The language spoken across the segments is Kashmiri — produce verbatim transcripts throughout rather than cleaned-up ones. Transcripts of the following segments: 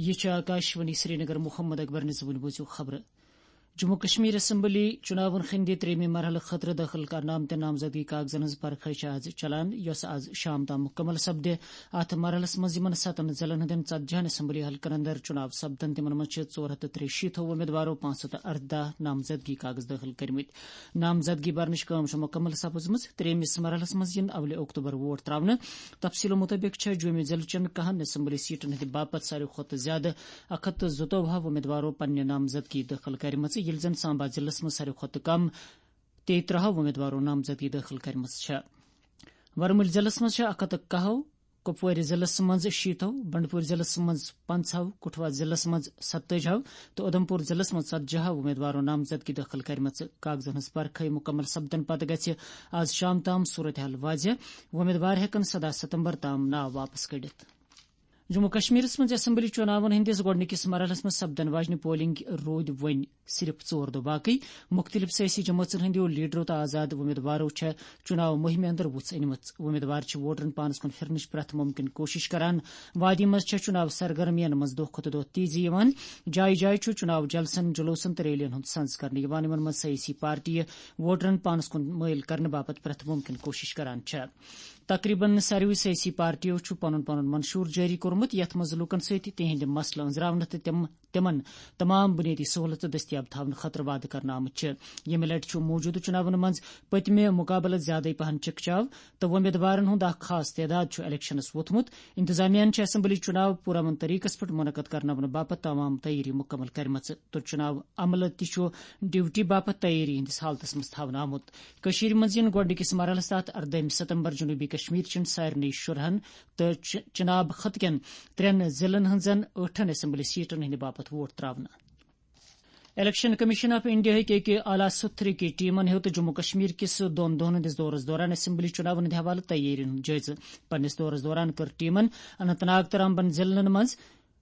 یہِ چھُ آکاشوانی سرینگر۔ محمد اکبر نِزوٕنۍ بوٗزِو خبرٕ۔ جموں کشمیر اسمبلی چُناون ہٕنٛدِ ترٛیٚیمہِ مرحلہٕ خٲطرٕ دٲخل کرنہٕ آمتٮ۪ن نامزدگی کاغذن ہٕنٛز پرکھے چھِ آز چلان، یۄس آز شام تام مُکمل سپدِ۔ اتھ مرحلس منٛز یِمن ستن ضلعن ہٕنٛدٮ۪ن ژتجی ہن اسمبلی حلقن اندر چُناو سپدن، تِمن منٛز چھِ ژور ہتھ تہٕ ترٛیہِ شیٖتھ امیدوارو پانٛژھ ہتھ تہٕ ارداہ نامزدگی کاغذ دٲخل کٔرمٕتۍ۔ نامزدگی برنٕچ کٲم چھِ مُکمل سپٕزمٕژ۔ ترٛیٚیمِس مرحلس منٛز یِن اولہِ اکتوبر ووٹ تراونہٕ۔ تفصیلو مُطٲبِق چھےٚ جوٚمہِ ضلعہٕ چٮ۪ن کاہن اسمبلی سیٹن ہٕنٛدِ باپتھ ساروی کھۄتہٕ زیادٕ اکھ ہتھ تہٕ زٕتووُہ امیدوارو پننہِ نامزدگی دٲخل کرِمژٕ، ییٚلہِ زن سامبا ضلعس منٛز ساروی کھۄتہٕ کم تیٚیہِ ترٛہو امیدوارو نامزدگی دٲخل کرِمٕژ چھےٚ۔ ورمُلۍ ضلعس منٛز چھےٚ اکھ ہتھ تہٕ کاہو، کپوٲرِ ضلعس منٛز شیٖتو، بنڈپور ضلعس منٛز پنٛژہو، کٹھوا ضلعس منٛز ستٲجہو تہٕ اُدھمپور ضلعس منٛز ژتجی ہو امیدوارو نامزدگی دٲخل کرِمژٕ۔ کاغذن ہٕنٛز پرکھے مُکمل سپدن پتہٕ گژھِ آز شام تام صورتحال واضح۔ امیدوار ہٮ۪کن سداہ ستمبر تام ناو واپس کٔڑِتھ۔ جموں کشمیرس منٛز اسمبلی چُناون ہٕنٛدِس گۄڈٕنِکِس مرحلس منٛز سپدن واجنہِ پولنگ روٗدۍ وۄنۍ صرف ژور دۄہ باقٕے۔ مُختٔلِف سیٲسی جمٲژن ہٕنٛدیو لیڈرو تہٕ آزاد امیدوارو چھےٚ چُناو مُہِمہِ اندر وُژھ أنمٕژ۔ امیدوار چھِ ووٹرن پانس کُن پھِرنٕچ پرٛٮ۪تھ مُمکِن کوٗشِش کران۔ وادی منٛز چھےٚ چُناو سرگرمین منٛز دۄہ کھۄتہٕ دۄہ تیزی یِوان۔ جایہِ جایہِ چھُ چُناو جلسن، جلوسن تہٕ ریلین ہُنٛد سنز کرنہٕ یِوان۔ یِمن منٛز سیٲسی پارٹیہِ ووٹرن پانس کُن مٲیِل کرنہٕ باپتھ پرٛٮ۪تھ مُمکِن کوٗشِش کران چھےٚ۔ تقریباً ساروٕے سیٲسی پارٹیو چھُ پنُن پنُن منشور جٲری کوٚرمُت، یتھ منٛز لوٗکن سۭتۍ تِہنٛدۍ مسلہٕ أنٛزراونہٕ تہٕ تِم، تِمن تمام بُنیٲدی سہوٗلژٕ دٔستیاب تھاونہٕ خٲطرٕ وعدٕ کرنہٕ آمٕتۍ چھِ۔ ییٚمہِ لٹہِ چھُ موٗجوٗدٕ چُناون منٛز پٔتمہِ مُقابلہٕ زیادَے پہن چِکچاو تہٕ وۄمیدوارن ہُنٛد اکھ خاص تعداد چھُ الیکشنس ووٚتھمُت۔ انتظامیہن چھِ اسمبلی چُناو پُرامن طریقس پٮ۪ٹھ منعقد کرناونہٕ باپتھ تمام تیٲری مُکمل کرِمژٕ تہٕ چُناو عملہٕ تہِ چھُ ڈیوٹی باپتھ تیٲری ہٕنٛدِس حالتس منٛز تھاونہٕ آمُت۔ کٔشیٖرِ منٛز یِن گۄڈٕنِکِس مرحلس تحت اردٲہمہِ ستمبر جنوٗبی کشمیر چٮ۪ن سارنٕے شُرہن تہٕ چ-، چناب خطہٕ کٮ۪ن ترٛٮ۪ن ضلعن ہٕنٛزن ٲٹھن اسمبلی سیٹن ہٕنٛدِ باپتھ ووٹ تراونہٕ۔ الیکشن کمیشن آف انڈیا ہٕکۍ أکۍ اعلیٰ سطحٕکۍ ٹیمن ہیوٚت جموں کشمیر کِس دۄن دۄہن ہٕنٛدِس دورس دوران اسمبلی چُناون ہٕنٛدِ حوالہٕ تیٲرین ہُنٛد جٲیزٕ۔ پننِس دورس دوران کٔر ٹیمن اننت ناگ تہٕ رامبن ضلعن منٛز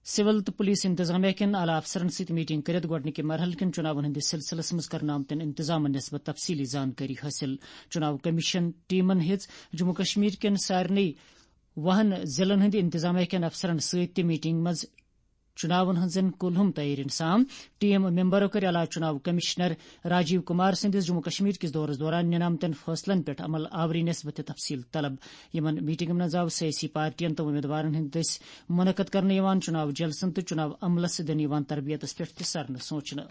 سول تہٕ پولیس انتظامیہ کٮ۪ن اعلیٰ افسرن سۭتۍ میٹنگ کٔرِتھ گۄڈٕنِکہِ مرحلہٕ کٮ۪ن چُناون ہٕنٛدِس سلسلس منٛز کرنہٕ آمتٮ۪ن انتظامن نسبت تفصیلی زانکٲری حٲصِل۔ چُناو کمیشن ٹیمن ہیٚژ جموں کشمیر کٮ۪ن سارنٕے وُہن ضلعن ہٕنٛدِ انتظامیہ کٮ۪ن افسرن سۭتۍ تہِ میٹنگ منٛز چُناون ہٕنٛزن کُلہُم تیٲرین سام۔ ٹیم ممبرو کٔر علاقہٕ چُناو کمشنر راجیو کمار سٕنٛدِس جموں کشمیر کِس دورس دوران نِنہٕ آمتٮ۪ن فٲصلن پٮ۪ٹھ عمل آوری نسبت تہِ تفصیل طلب۔ یِمن میٹنگن منٛز آو سیٲسی پارٹین تہٕ امیدوارن ہٕنٛدۍ دٔسۍ منعقد کرنہٕ یِوان چُناو جلسن تہٕ چُناو عملس دِنہٕ یِوان تربیتس پٮ۪ٹھ تہِ سرنہٕ سونچنہٕ۔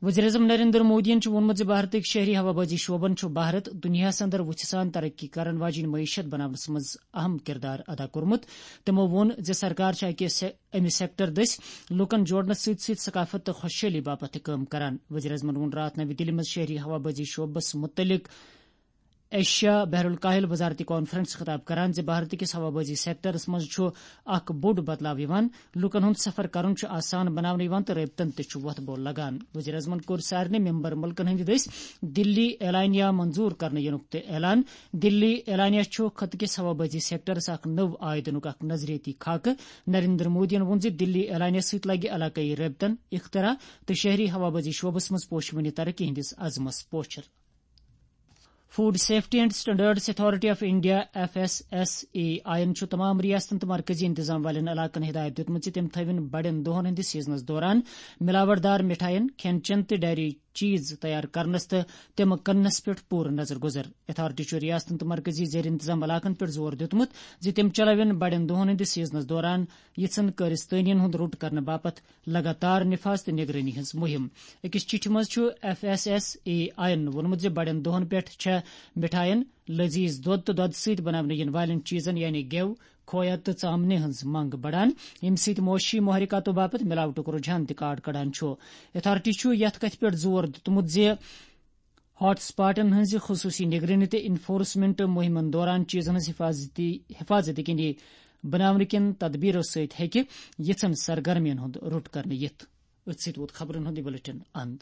وزیر اعظم نریندر مودیَن چھُ ووٚنمُت زِ بھارتٕکۍ شہری ہوابازی شعبن چھُ بھارت دُنیاہَس اندر وُژھِ سان ترقی کرن واجیٚنۍ معیشت بناونس منٛز اہم کردار ادا کوٚرمُت۔ تِمَو ووٚن زِ سرکار چھِ اَکہِ سے-، اَمہِ سیکٹر دٔسۍ لوٗکَن جوڑنَس سۭتۍ سۭتۍ ثقافت تہٕ خوشحٲلی باپتھ تہِ کٲم کران۔ وزیر اعظمَن ووٚن راتھ نوِ دِلہِ منٛز شہری ہوابازی شعبس مُتعلق ایشیا بحر الکاہل وزارتی کانفرنس خطاب کران زِ بھارت کِس ہوابازی سیکٹرس منٛز چھُ اکھ بوٚڑ بدلاو یِوان، لوٗکن ہُنٛد سفر کرُن چھُ آسان بناونہٕ یِوان تہٕ رٲبطن تہِ چھُ وۄتھ بول لگان۔ وزیر اعظمن کوٚر سارنٕے ممبر مُلکن ہٕنٛدِ دٔسۍ دِلی اعلانیہ منظور کرنہٕ یِنُک تہِ اعلان۔ دِلی اعلانیہ چھُ خطہٕ کِس ہوابازی سیکٹرس اکھ نٔو آے دِنُک اکھ نظریٲتی خاکہٕ۔ نریندر مودیَن ووٚن زِ دِلی اعلانیہ سۭتۍ لگہِ علاقٲیی رٲبطن، اختراع تہٕ شہری ہوابازی شعبس منٛز پوشوٕنہِ ترقی ہٕنٛدِس عزمس پوچھر۔ Food safety and standards authority of India, F S S A I یَن چھُ تمام ریاستن تہٕ مرکزی انتظام والٮ۪ن علاقن ہدایت دِیُتمُت زِ تِم تھٲوِن بڑٮ۪ن دۄہن ہٕنٛدِس سیزنس دوران ملاوٹ دار مِٹھایَن، کھٮ۪ن چٮ۪ن تہٕ ڈیری چیز تیار کرنس تہٕ تِم کٕننس پٮ۪ٹھ پوٗرٕ نظر گُزر۔ اتھارٹی چھُ ریاستن تہٕ مرکزی زیر انتظام علاقن پٮ۪ٹھ زور دیُتمُت زِ تِم چلاوَن بڑٮ۪ن دۄہن ہٕنٛدِس سیزنس دوران یِژھن کٲرِستٲنین ہُنٛد روٚٹ کرنہٕ باپتھ لگاتار نفاذ تہٕ نگرٲنی ہٕنٛز مُہِم۔ أکِس چِٹھِ منٛز چھُ F S S A I یَن ووٚنمُت زِ بڑٮ۪ن دۄہَن پٮ۪ٹھ چھےٚ مِٹھایَن، لذیذ دۄد تہٕ دۄدٕ سۭتۍ بناونہٕ یِنہٕ والٮ۪ن چیٖزَن یعنی گٮ۪و، کھویا تہٕ ژامنہِ ہٕنٛز منٛگ بڑان، ییٚمہِ سۭتۍ معاشی محرکاتو باپتھ ملاوٹُک رجحان تہِ کاٹ کڑان چھُ۔ اتھارٹی چھُ یَتھ کَتھِ پٮ۪ٹھ زور دیُتمُت زِ ہاٹ سپاٹن ہٕنٛزِ خصوٗصی نگرٲنی تہٕ انفورسمنٹ مُہِمن دوران چیٖزَن ہٕنٛز حفاظتی، حفاظت یقینی بناونہٕ کٮ۪ن تدبیرو سۭتۍ ہیٚکہِ یِژھن سرگرمین ہُنٛد روٚٹ کرنہٕ یِتھ۔ أتھۍ سۭتۍ ووت خبرن ہُنٛد یہِ بلیٹن اند۔